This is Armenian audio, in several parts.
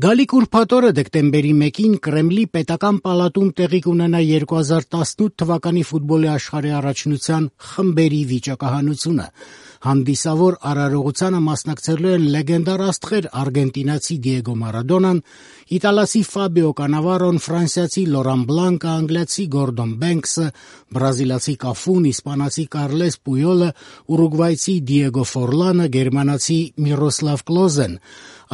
Գալիք ուրբաթ օրը դեկտեմբերի 1-ին Կրեմլի պետական պալատում տեղի կունենա 2018 թվականի ֆուտբոլի աշխարհի առաջնության խմբերի վիճակահանությունը։ Հանդիսավոր արարողությանը մասնակցելու են լեգենդար աստղեր արգենտինացի Դիեգո Մարադոնան, իտալացի Ֆաբիո Կանավարոն, ֆրանսիացի Լորան Բլանկը, անգլիացի Գորդոն Բենքսը, բրազիլացի Կաֆուն, իսպանացի Կարլես Պույոլը, ուրուգվայցի Դիեգո Ֆորլանը, գերմանացի Միրոսլավ Կլոզեն։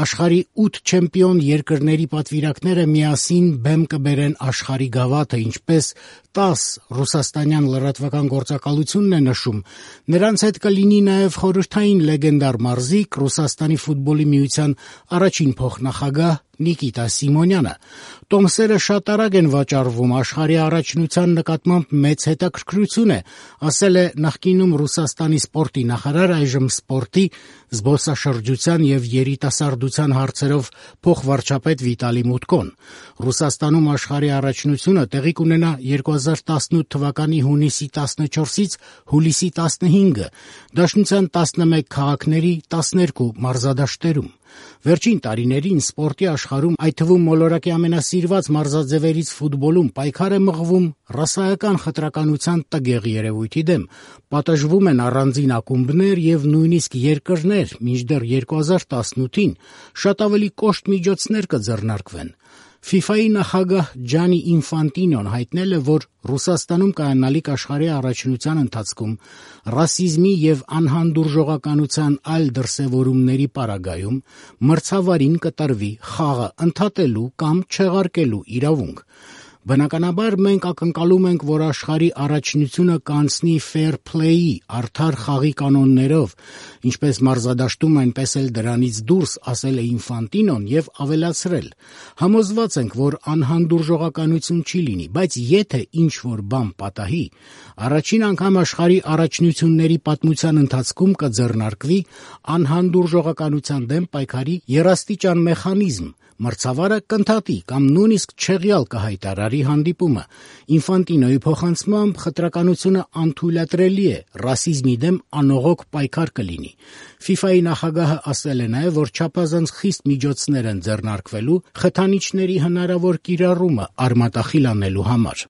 Աշխարհի 8 չեմպիոն երկրների պատվիրակները միասին բեմ կբերեն աշխարհի գավաթը, ինչպես ՏԱՍՍ ռուսաստանյան լրատվական գործակալությունն է նշում։ Նրանց հետ կլինի նաև խորհրդային լեգենդար մարզիկ Ռուսաստանի ֆուտբոլի միության առաջին փոխնախագահ Նիկիտա Սիմոնյանը։ Տոմսերը շատ արագ են վաճառվում, աշխարհի առաջնության նկատմամբ մեծ հետաքրքրություն է, ասել է նախկինում Ռուսաստանի սպորտի նախարար, այժմ սպորտի, զբոսաշրջության եւ երիտասարդության հարցերով փոխվարչապետ Վիտալի Մուտկոն։ Ռուսաստանում աշխարհի առաջնությունը տեղի կունենա 2018 թվականի հունիսի 14-ից հուլիսի 15-ը, Դաշնության 11 քաղաքների 12 մարզադաշտերում։ Վերջին տարիներին սպորտի աշխարհում, այդ թվում մոլորակի ամենասիրված մարզաձևերից ֆուտբոլում, պայքար է մղվում ռասայական խտրականության տգեղ երևույթի դեմ։ Պատժվում են առանձին ակումբներ եւ նույնիսկ երկրներ, մինչդեռ 2018-ին շատ ավելի կոշտ միջոցներ կձեռնարկվեն։ ՖԻՖԱ-ի նախագահ Ջանի Ինֆանտինոն հայտնել է, որ Ռուսաստանում կայանալիք աշխարհի առաջնության ընթացքում ռասիզմի եւ անհանդուրժողականության այլ դրսեւորումների պարագայում մրցավարին կտրվի խաղը ընդհատելու կամ չեղարկելու իրավունք։ Բնականաբար մենք ակնկալում ենք, որ աշխարհի առաջնությունը կանցնի fair play-ի, արդար խաղի կանոններով, ինչպես մարզադաշտում, այնպես էլ դրանից դուրս, ասել է Ինֆանտինոն եւ ավելացրել. համոզված ենք, որ անհանդուրժողականություն չի լինի, բայց եթե ինչ-որ բան պատահի, առաջին անգամ աշխարհի առաջնությունների պատմության ընթացքում կձեռնարկվի անհանդուրժողականության դեմ պայքարի երաստիճան մեխանիզմ, մրցավարը կընդհատի կամ նույնիսկ չեղյալ կհայտարարի հանդիպումը։ Ինֆանտինոյի փոխանցմամբ խտրականությունը անթույլատրելի է, ռասիզմի դեմ անողոք պայքար կլինի։ ՖԻՖԱ-ի նախագահը ասել է նաև, որ չափազանց խիստ միջոցներ են ձեռնարկվելու խթանիչների հնարավոր կիրառումը արմատախիլ անելու համար։